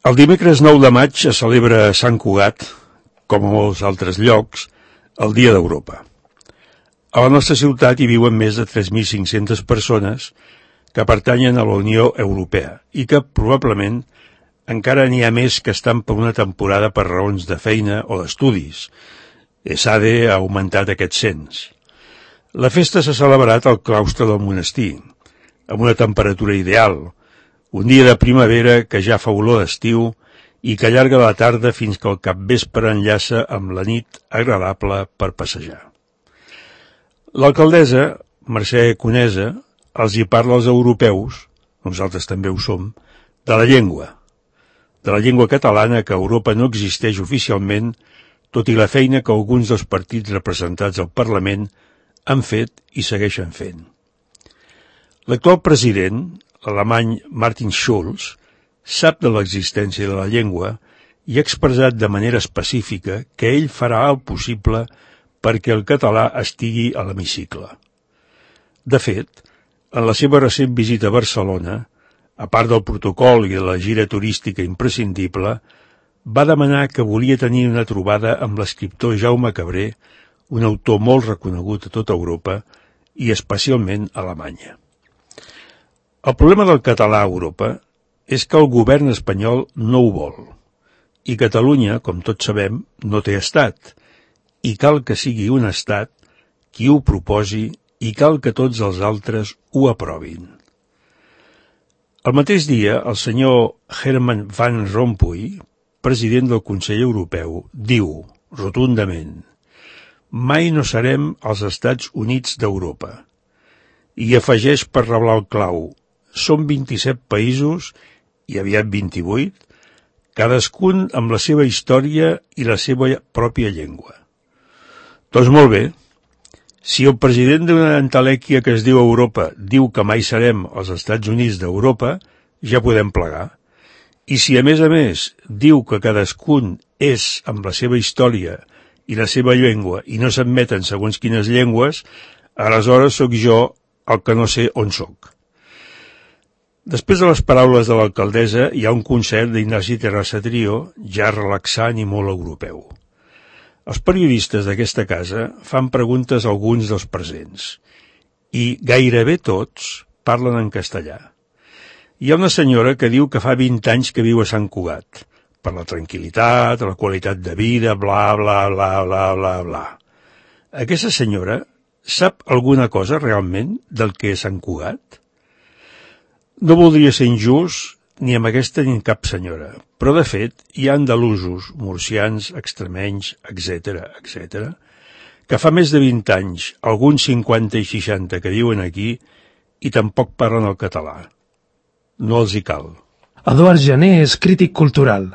El dimecres 9 de maig es celebra a Sant Cugat, com a molts altres llocs, el Dia d'Europa. A la nostra ciutat hi viuen més de 3.500 persones que pertanyen a la Unió Europea i que probablement encara n'hi ha més que estan per una temporada per raons de feina o d'estudis. ESADE ha augmentat aquest cens. La festa s'ha celebrat al claustre del monestir, amb una temperatura ideal, un dia de primavera que ja fa olor d'estiu i que allarga la tarda fins que el capvespre enllaça amb la nit agradable per passejar. L'alcaldessa, Mercè Conesa, els hi parla als europeus, nosaltres també ho som, de la llengua catalana que a Europa no existeix oficialment, tot i la feina que alguns dels partits representats al Parlament han fet i segueixen fent. L'actual president, l'alemany Martin Schulz, sap de l'existència de la llengua i ha expressat de manera específica que ell farà el possible perquè el català estigui a l'hemicicle. De fet, en la seva recent visita a Barcelona, a part del protocol i de la gira turística imprescindible, va demanar que volia tenir una trobada amb l'escriptor Jaume Cabré, un autor molt reconegut a tota Europa i especialment a Alemanya. El problema del català a Europa és que el govern espanyol no ho vol, i Catalunya, com tots sabem, no té estat, i cal que sigui un estat qui ho proposi i cal que tots els altres ho aprovin. El mateix dia, el senyor Herman Van Rompuy, president del Consell Europeu, diu, rotundament, «Mai no serem els Estats Units d'Europa». I afegeix per reblar el clau, «Som 27 països, i aviat 28, cadascun amb la seva història i la seva pròpia llengua». Doncs molt bé, si el president d'una entelèquia que es diu Europa diu que mai serem els Estats Units d'Europa, ja podem plegar. I si a més diu que cadascun és amb la seva història i la seva llengua i no s'admeten segons quines llengües, aleshores sóc jo el que no sé on sóc. Després de les paraules de l'alcaldessa hi ha un concert d'Ignasi Terrassa Trio, ja relaxant i molt europeu. Els periodistes d'aquesta casa fan preguntes a alguns dels presents i gairebé tots parlen en castellà. Hi ha una senyora que diu que fa 20 anys que viu a Sant Cugat, per la tranquil·litat, la qualitat de vida, bla, bla, bla, bla, bla, bla. Aquesta senyora sap alguna cosa realment del que és Sant Cugat? No voldria ser injust ni amb aquesta ni amb cap senyora, però de fet hi ha andalusos, murcians, extremenys, etc., que fa més de 20 anys, alguns 50 i 60 que viuen aquí i tampoc parlen el català. No els hi cal. Eduard Jané és crític cultural.